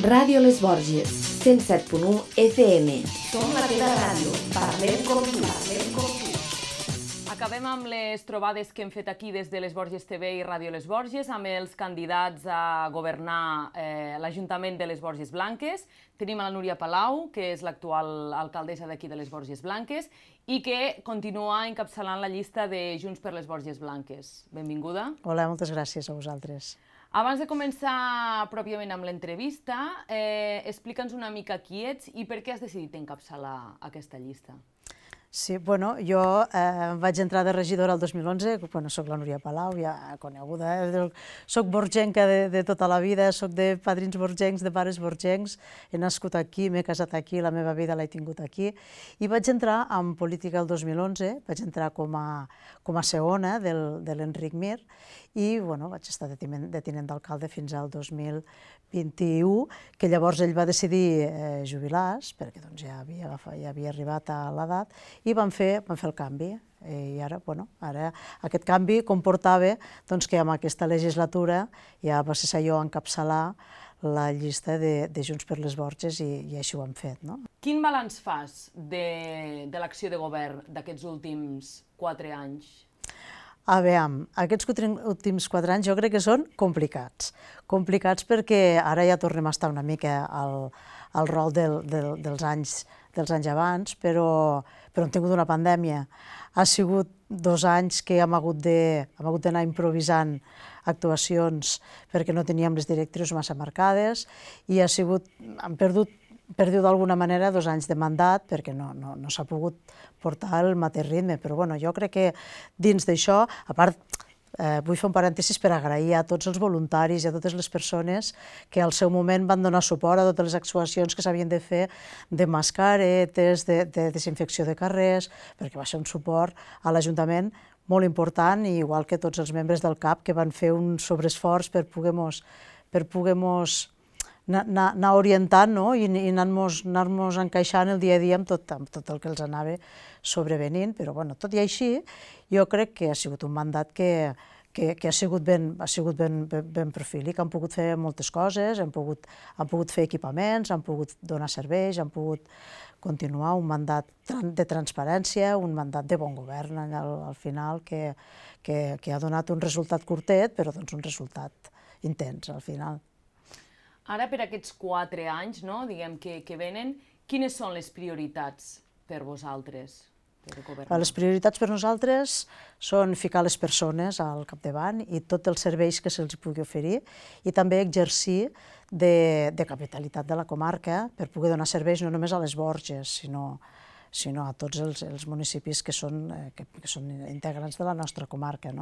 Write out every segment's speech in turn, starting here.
Ràdio Les Borges, 107.1 FM. Som la teva ràdio. Parlem com tu. Acabem amb les trobades que hem fet aquí des de Les Borges TV i Ràdio Les Borges amb els candidats a governar l'Ajuntament de Les Borges Blanques. Tenim a la Núria Palau, que és l'actual alcaldessa d'aquí de Les Borges Blanques i que continua encapçalant la llista de Junts per Les Borges Blanques. Benvinguda. Hola, moltes gràcies a vosaltres. Abans de començar pròpiament amb l'entrevista, explica'ns una mica qui ets i per què has decidit encapçalar aquesta llista. Sí, bueno, jo vaig entrar de regidora el 2011, soc la Núria Palau, ja coneguda, soc borgenca de tota la vida, soc de padrins borgencs, de pares borgencs, he nascut aquí, m'he casat aquí, la meva vida l'he tingut aquí, i vaig entrar en política el 2011, vaig entrar com a segona de l'Enric Mir, i vaig estar de tinent d'alcalde fins al 2021, que llavors ell va decidir jubilar-se, perquè ja havia arribat a l'edat, i van fer el canvi. I ara aquest canvi comportava que amb aquesta legislatura ja va ser jo encapçalar la llista de Junts per les Borges i així ho hem fet. Quin balanç fas de l'acció de govern d'aquests últims 4 anys? A veure, aquests últims 4 anys jo crec que són complicats. Complicats perquè ara ja tornem a estar una mica al rol dels anys abans, però hem tingut una pandèmia. Ha sigut 2 anys que hem hagut d'anar improvisant actuacions perquè no teníem les directrius massa marcades i hem perdut d'alguna manera 2 anys de mandat perquè no s'ha pogut portar el mateix ritme, però jo crec que dins d'això, a part, vull fer un parèntesis per agrair a tots els voluntaris i a totes les persones que al seu moment van donar suport a totes les actuacions que s'havien de fer de mascaretes, de desinfecció de carrers, perquè va ser un suport a l'Ajuntament molt important, igual que tots els membres del CAP que van fer un sobreesforç per poder-nos anar orientant i anar-nos encaixant el dia a dia amb tot el que els anava sobrevenint, però tot i així jo crec que ha sigut un mandat que ha sigut ben profílic, han pogut fer moltes coses, han pogut fer equipaments, han pogut donar serveis, han pogut continuar un mandat de transparència, un mandat de bon govern al final que ha donat un resultat curtet, però un resultat intens al final. Ara, per aquests 4 anys que venen, quines són les prioritats per vosaltres? Les prioritats per nosaltres són ficar les persones al capdavant i tots els serveis que se'ls pugui oferir i també exercir de capitalitat de la comarca per poder donar serveis no només a les Borges, sinó a tots els municipis que són integrants de la nostra comarca.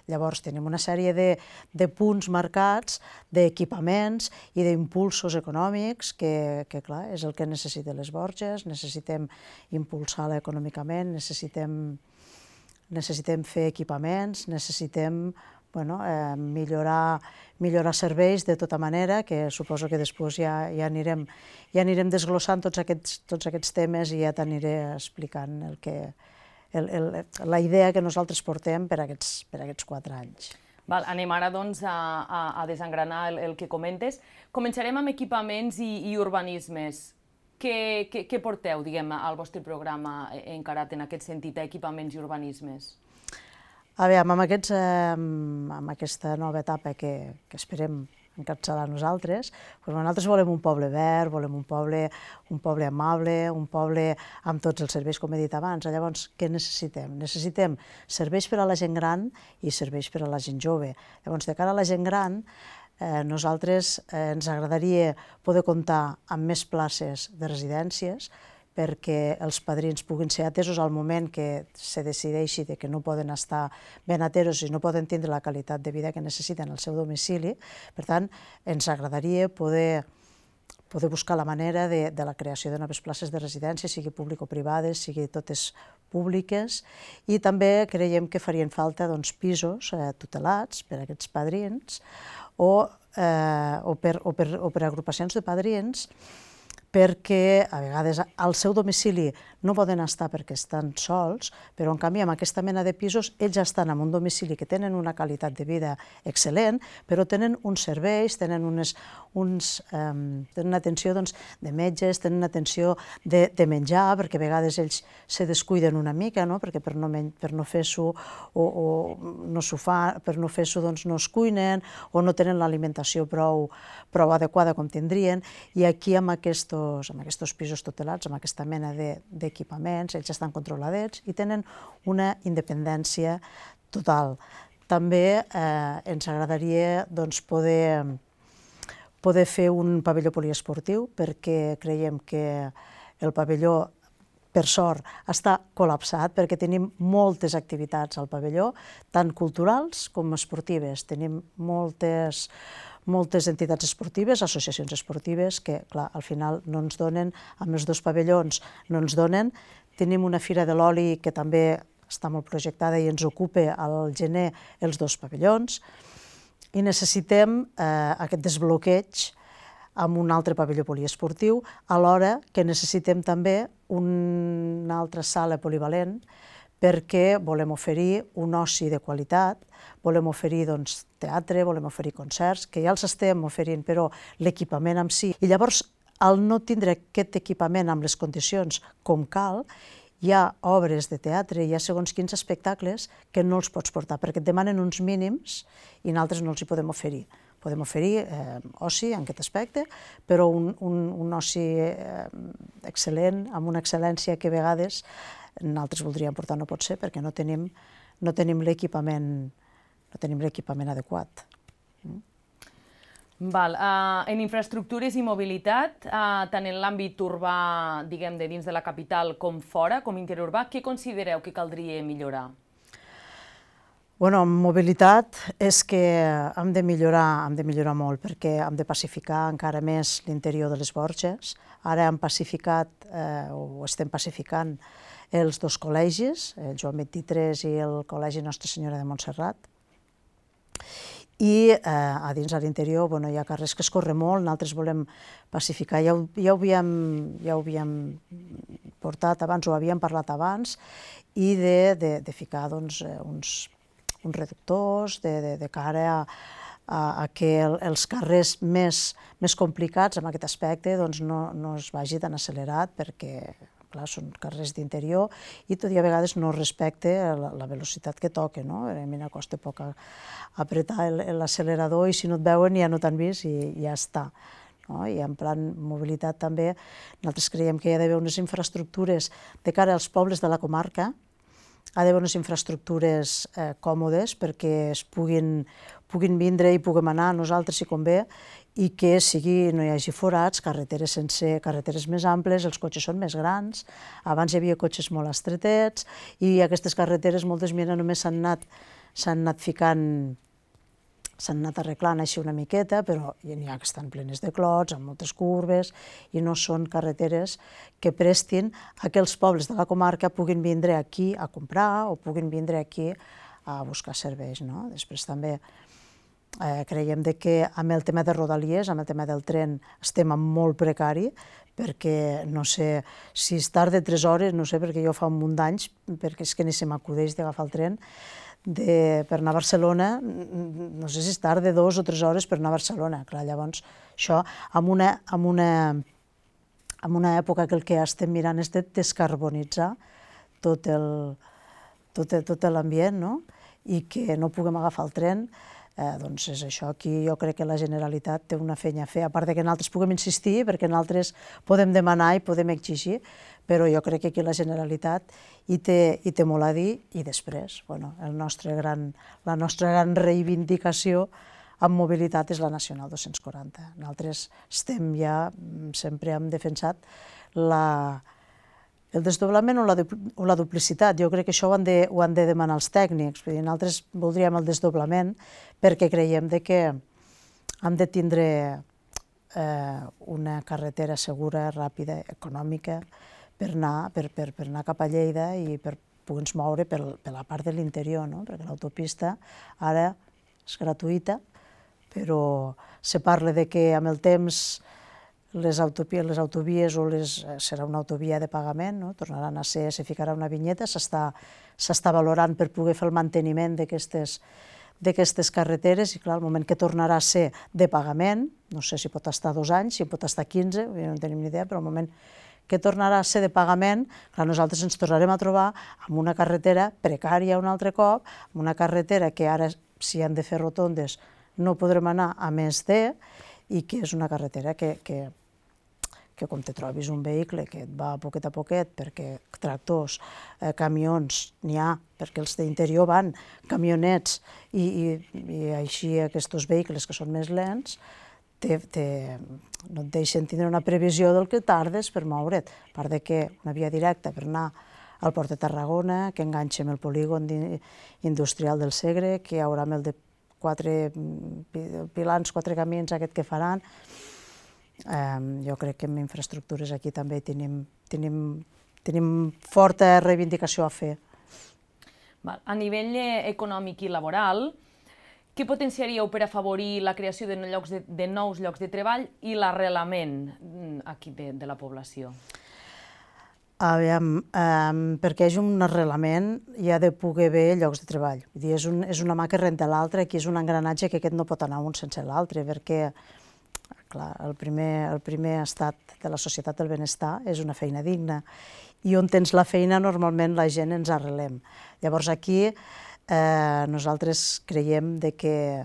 Llavors tenim una sèrie de punts marcats, d'equipaments i d'impulsos econòmics que, clar, és el que necessiten les Borges, necessitem impulsar-la econòmicament, necessitem fer equipaments, necessitem millorar serveis de tota manera, que suposo que després ja anirem desglossant tots aquests temes i ja t'aniré explicant la idea que nosaltres portem per aquests 4 anys. Anem ara a desengranar el que comentes. Començarem amb equipaments i urbanismes. Què porteu, al vostre programa encarat en aquest sentit, a equipaments i urbanismes? A veure, amb aquesta nova etapa que esperem encapçalar nosaltres, nosaltres volem un poble verd, volem un poble amable, un poble amb tots els serveis, com he dit abans. Llavors, què necessitem? Necessitem serveis per a la gent gran i serveis per a la gent jove. Llavors, de cara a la gent gran, nosaltres ens agradaria poder comptar amb més places de residències, perquè els padrins puguin ser atesos al moment que se decideixi que no poden estar ben atesos i no poden tindre la qualitat de vida que necessiten al seu domicili. Per tant, ens agradaria poder buscar la manera de la creació de noves places de residència, sigui públic o privades, sigui totes públiques, i també creiem que farien falta pisos tutelats per a aquests padrins o per agrupacions de padrins perquè a vegades al seu domicili no poden estar perquè estan sols, però en canvi amb aquesta mena de pisos ells estan en un domicili que tenen una qualitat de vida excel·lent, però tenen uns serveis, tenen una atenció de metges, tenen una atenció de menjar, perquè a vegades ells se descuiden una mica, perquè per no fer-s'ho no es cuinen o no tenen l'alimentació prou adequada com tindrien, i aquí amb aquests pisos tutelats, amb aquesta mena d'equipaments, ells estan controladets i tenen una independència total. També ens agradaria poder fer un pavelló poliesportiu, perquè creiem que el pavelló, per sort, està col·lapsat, perquè tenim moltes activitats al pavelló, tant culturals com esportives. Tenim moltes entitats esportives, associacions esportives, que, clar, al final no ens donen, amb els 2 pavellons no ens donen. Tenim una fira de l'oli que també està molt projectada i ens ocupa al gener els 2 pavellons, i necessitem aquest desbloqueig amb un altre pavelló poliesportiu, alhora que necessitem també una altra sala polivalent, perquè volem oferir un oci de qualitat, volem oferir teatre, volem oferir concerts, que ja els estem oferint, però l'equipament en si. I llavors, al no tindre aquest equipament amb les condicions com cal, hi ha obres de teatre, hi ha segons quins espectacles que no els pots portar, perquè et demanen uns mínims i nosaltres no els hi podem oferir. Podem oferir oci en aquest aspecte, però un oci excel·lent, amb una excel·lència que a vegades nosaltres voldríem portar, no pot ser, perquè no tenim l'equipament adequat. En infraestructures i mobilitat, tant en l'àmbit urbà, diguem, de dins de la capital com fora, com interurbà, què considereu que caldria millorar? En mobilitat és que hem de millorar molt, perquè hem de pacificar encara més l'interior de les Borges. Ara hem pacificat, o estem pacificant, els 2 col·legis, el Joan XXIII i el Col·legi Nostra Senyora de Montserrat. I a dins a l'interior hi ha carrers que es corren molt, nosaltres volem pacificar, ja ho havíem portat abans, ho havíem parlat abans, i de ficar uns reductors de cara a que els carrers més complicats en aquest aspecte no es vagi tan accelerat, perquè clar, són carrers d'interior i tot i a vegades no respecte la velocitat que toca. A mi em costa poc apretar l'accelerador i si no et veuen ja no t'han vist i ja està. I en plan mobilitat també nosaltres creiem que hi ha d'haver unes infraestructures de cara als pobles de la comarca, ha d'haver unes infraestructures còmodes perquè es puguin vindre i puguem anar nosaltres si convé, i que no hi hagi forats, carreteres més amples, els cotxes són més grans, abans hi havia cotxes molt estretets i aquestes carreteres moltes només s'han anat arreglant així una miqueta, però n'hi ha que estan plenes de clots, amb moltes curves, i no són carreteres que prestin a que els pobles de la comarca puguin vindre aquí a comprar o puguin vindre aquí a buscar serveis. Després també creiem que amb el tema de Rodalies, amb el tema del tren, estem en molt precari, perquè no sé si es tarda 3 hores, no sé, perquè jo fa un munt d'anys, perquè és que ni se m'acudeix d'agafar el tren, per anar a Barcelona, no sé si es tarda 2 o 3 hores per anar a Barcelona. Clar, llavors, això, en una època que el que estem mirant és de descarbonitzar tot l'ambient, i que no puguem agafar el tren, doncs és això. Aquí jo crec que la Generalitat té una feina a fer, a part que nosaltres puguem insistir, perquè nosaltres podem demanar i podem exigir, però jo crec que aquí la Generalitat hi té molt a dir, i després la nostra gran reivindicació en mobilitat és la Nacional 240. Nosaltres sempre hem defensat el desdoblament o la duplicitat. Jo crec que això ho han de demanar els tècnics. Nosaltres voldríem el desdoblament perquè creiem que hem de tindre una carretera segura, ràpida, econòmica, per anar cap a Lleida i per poder-nos moure per la part de l'interior, perquè l'autopista ara és gratuïta, però se parla que amb el temps les autovies serà una autovia de pagament, no? Tornaran a ser, se ficarà una vinyeta, s'està valorant per poder fer el manteniment d'aquestes carreteres i clar, el moment que tornarà a ser de pagament, no sé si pot estar 2 anys, si pot estar 15, no en tenim ni idea, però el moment que tornarà a ser de pagament, clar, nosaltres ens tornarem a trobar amb una carretera precària un altre cop, amb una carretera que ara, si han de fer rotondes, no podrem anar a més i que és una carretera que com te trobis un vehicle que et va a poquet, perquè tractors, camions, n'hi ha, perquè els d'interior van, camionets, i així aquests vehicles que són més lents, no et deixen tindre una previsió del que tardes per moure't, a part que una via directa per anar al Port de Tarragona, que enganxa amb el polígon industrial del Segre, que hi haurà amb el de 4 pilans, 4 camins aquest que faran. Jo crec que en infraestructures aquí també tenim forta reivindicació a fer. A nivell econòmic i laboral, què potenciaríeu per afavorir la creació de nous llocs de treball i l'arrelament aquí de la població? Aviam, perquè hi hagi un arrelament hi ha de poder haver llocs de treball. És una mà que renta l'altra, aquí és un engranatge que aquest no pot anar un sense l'altre, perquè clar, el primer estat de la societat del benestar és una feina digna, i on tens la feina normalment la gent ens arrelem. Llavors aquí nosaltres creiem que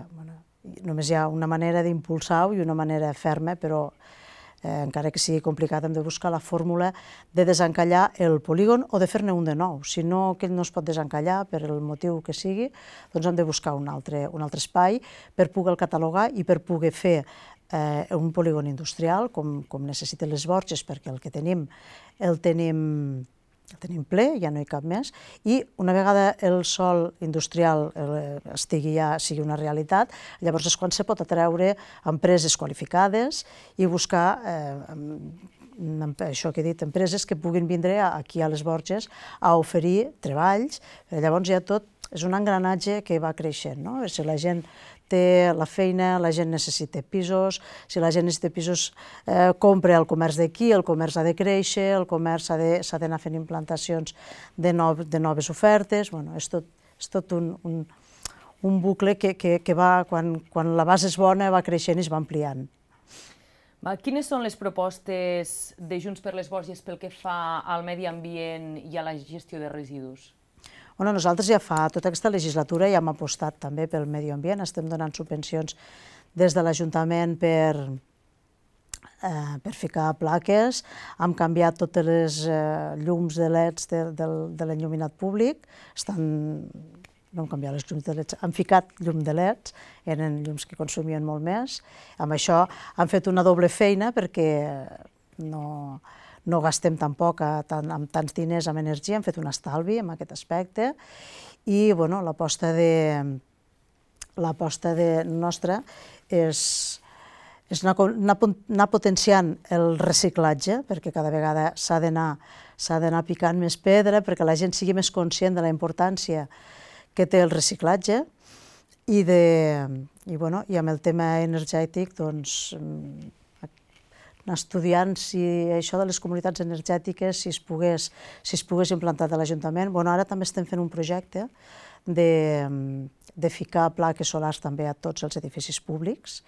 només hi ha una manera d'impulsar-ho i una manera ferma, però encara que sigui complicat hem de buscar la fórmula de desencallar el polígon o de fer-ne un de nou. Si no, aquell no es pot desencallar per el motiu que sigui, doncs hem de buscar un altre espai per poder-lo catalogar i per poder fer un polígon industrial com necessiten les Borges, perquè el que tenim el tenim ple, ja no hi cap més, i una vegada el sòl industrial sigui una realitat, llavors és quan se pot atreure empreses qualificades i buscar, això que he dit, empreses que puguin vindre aquí a les Borges a oferir treballs. Llavors ja tot és un engranatge que va creixent, no? Si la gent té la feina, la gent necessita pisos, si la gent necessita pisos, compra el comerç d'aquí, el comerç ha de créixer, el comerç s'ha d'anar fent implantacions de noves ofertes, és tot un bucle que va, quan la base és bona, va creixent i es va ampliant. Quines són les propostes de Junts per les Borges pel que fa al medi ambient i a la gestió de residus? Nosaltres ja fa tota aquesta legislatura ja hem apostat també pel medi ambient, estem donant subvencions des de l'Ajuntament per ficar plaques, hem canviat totes les llums de LEDs de l'enlluminat públic, no hem canviat les llums de LEDs, hem ficat llum de LEDs, eren llums que consumien molt més, amb això hem fet una doble feina perquè no gastem tampoc amb tants diners en energia, hem fet un estalvi en aquest aspecte i l'aposta nostra és anar potenciant el reciclatge, perquè cada vegada s'ha d'anar picant més pedra perquè la gent sigui més conscient de la importància que té el reciclatge i amb el tema energètic anar estudiant si això de les comunitats energètiques, si es pogués implantar a l'Ajuntament. Ara també estem fent un projecte de ficar plaques solars també a tots els edificis públics,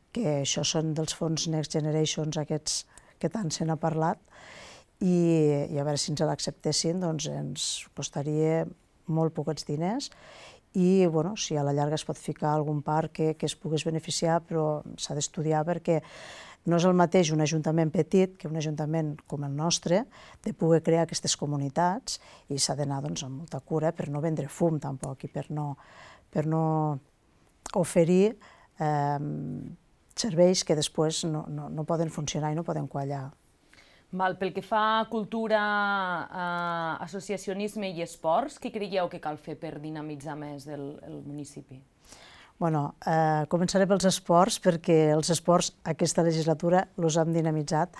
que això són dels fons Next Generation, aquests que tant se n'ha parlat, i a veure si ens l'acceptessin, doncs ens costaria molt poquets diners, i si a la llarga es pot ficar algun parc que es pogués beneficiar, però s'ha d'estudiar perquè no és el mateix un ajuntament petit que un ajuntament com el nostre, de poder crear aquestes comunitats, i s'ha d'anar amb molta cura per no vendre fum tampoc i per no oferir serveis que després no poden funcionar i no poden quallar. Pel que fa a cultura, associacionisme i esports, què creieu que cal fer per dinamitzar més el municipi? Començaré pels esports, perquè els esports aquesta legislatura els hem dinamitzat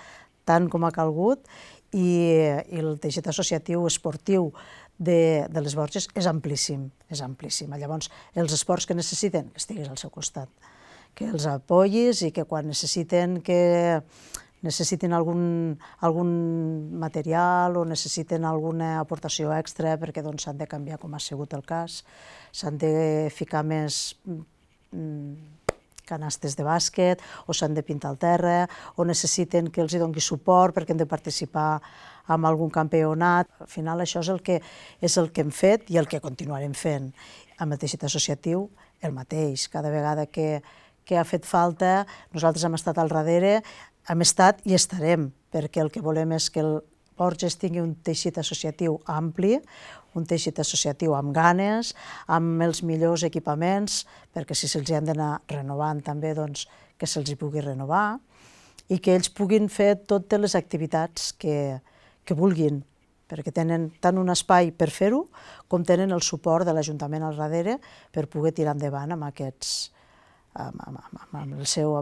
tant com ha calgut i el teixit associatiu esportiu de les Borges és amplíssim. Llavors, els esports que necessiten, que estiguis al seu costat, que els apoyis i que quan necessiten que necessiten algun material o necessiten alguna aportació extra perquè s'han de canviar, com ha sigut el cas, s'han de ficar més canastes de bàsquet o s'han de pintar el terra o necessiten que els hi doni suport perquè han de participar en algun campionat. Al final això és el que hem fet i el que continuarem fent. Amb el teixit associatiu el mateix, cada vegada que ha fet falta, nosaltres hem estat al darrere, hem estat i estarem, perquè el que volem és que el Borges tingui un teixit associatiu ampli, un teixit associatiu amb ganes, amb els millors equipaments, perquè si se'ls han d'anar renovant també, que se'ls hi pugui renovar, i que ells puguin fer totes les activitats que vulguin, perquè tenen tant un espai per fer-ho, com tenen el suport de l'Ajuntament al darrere per poder tirar endavant amb aquests, amb el seu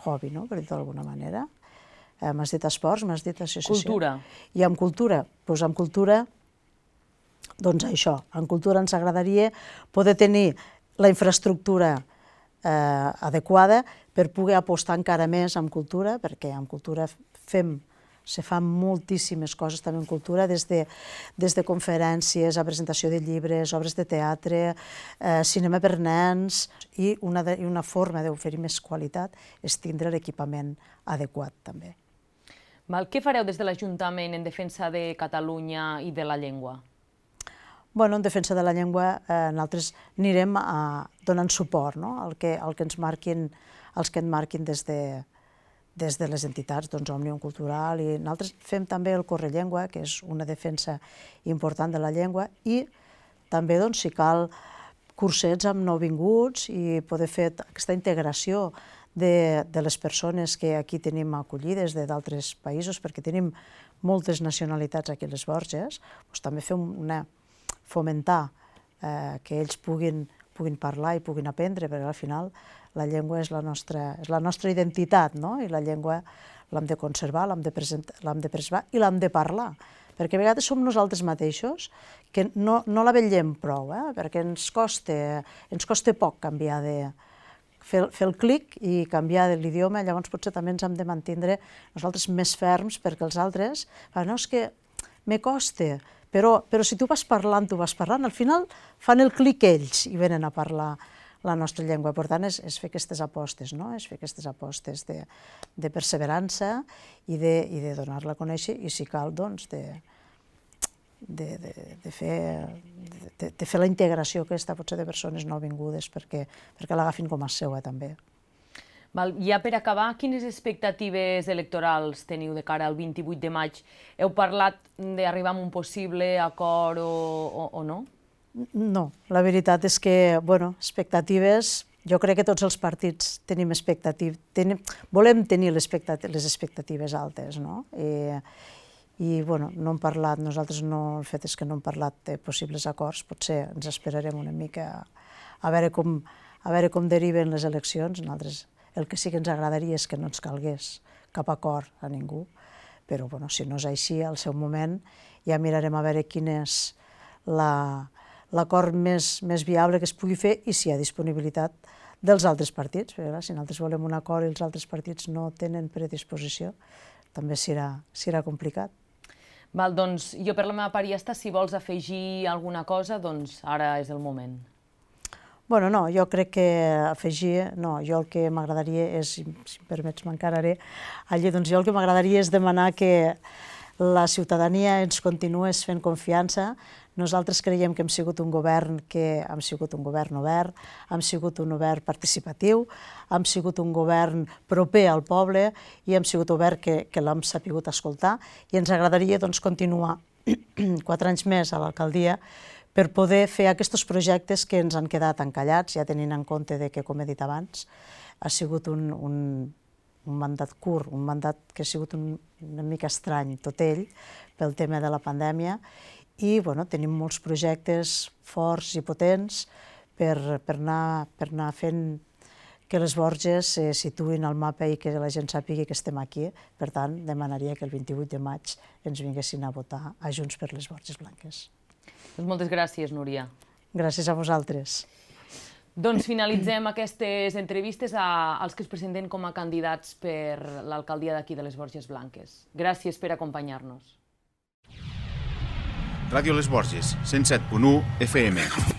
hobby, no? Per dir-ho d'alguna manera. M'has dit esports, m'has dit associació. Cultura. I amb cultura? Doncs amb cultura, això, en cultura ens agradaria poder tenir la infraestructura adequada per poder apostar encara més en cultura, perquè en cultura se fan moltíssimes coses també en cultura, des de conferències, a presentació de llibres, obres de teatre, cinema per nens, i una forma d'oferir més qualitat és tindre l'equipament adequat també. Què fareu des de l'Ajuntament en defensa de Catalunya i de la llengua? En defensa de la llengua nosaltres anirem donant suport al que ens marquin des de les entitats, Òmnium Cultural, i nosaltres fem també el Correllengua, que és una defensa important de la llengua, i també, si cal, cursets amb nouvinguts i poder fer aquesta integració de les persones que aquí tenim acollides d'altres països, perquè tenim moltes nacionalitats aquí a les Borges, també fomentar que ells puguin parlar i puguin aprendre, perquè al final la llengua és la nostra identitat, i la llengua l'hem de conservar, l'hem de preservar i l'hem de parlar, perquè a vegades som nosaltres mateixos que no la vetllem prou, perquè ens costa poc canviar fer el clic i canviar l'idioma, llavors potser també ens hem de mantenir nosaltres més ferms, perquè els altres, no, és que me costa, però si tu vas parlant, al final fan el clic ells i venen a parlar la nostra llengua. Per tant, és fer aquestes apostes, és fer aquestes apostes de perseverança i de donar-la a conèixer, i si cal, de fer la integració aquesta, potser de persones nouvingudes, perquè l'agafin com a seua també. Ja per acabar, quines expectatives electorals teniu de cara al 28 de maig? Heu parlat d'arribar a un possible acord o no? No, la veritat és que, expectatives, jo crec que tots els partits tenim expectatives, volem tenir les expectatives altes, no? I, no hem parlat, nosaltres el fet és que no hem parlat de possibles acords, potser ens esperarem una mica a veure com deriven les eleccions. Nosaltres el que sí que ens agradaria és que no ens calgués cap acord a ningú, però si no és així, al seu moment ja mirarem a veure quin és l'acord més viable que es pugui fer i si hi ha disponibilitat dels altres partits. Si nosaltres volem un acord i els altres partits no tenen predisposició, també serà complicat. Doncs jo per la meva part ja està. Si vols afegir alguna cosa, doncs ara és el moment. No, jo crec que afegir, jo el que m'agradaria és, si em permets m'encararé, jo el que m'agradaria és demanar que la ciutadania ens continués fent confiança. Nosaltres creiem que hem sigut un govern obert, hem sigut un govern participatiu, hem sigut un govern proper al poble i hem sigut obert que l'hem sapigut escoltar, i ens agradaria continuar 4 anys més a l'alcaldia per poder fer aquests projectes que ens han quedat encallats, ja tenint en compte que, com he dit abans, ha sigut un mandat curt, un mandat que ha sigut una mica estrany tot ell pel tema de la pandèmia, i tenim molts projectes forts i potents per anar fent que les Borges se situïn al mapa i que la gent sàpiga que estem aquí. Per tant, demanaria que el 28 de maig ens vinguessin a votar a Junts per les Borges Blanques. Moltes gràcies, Núria. Gràcies a vosaltres. Doncs finalitzem aquestes entrevistes als que es presenten com a candidats per l'alcaldia d'aquí de les Borges Blanques. Gràcies per acompanyar-nos. Ràdio Les Borges, 107.1 FM.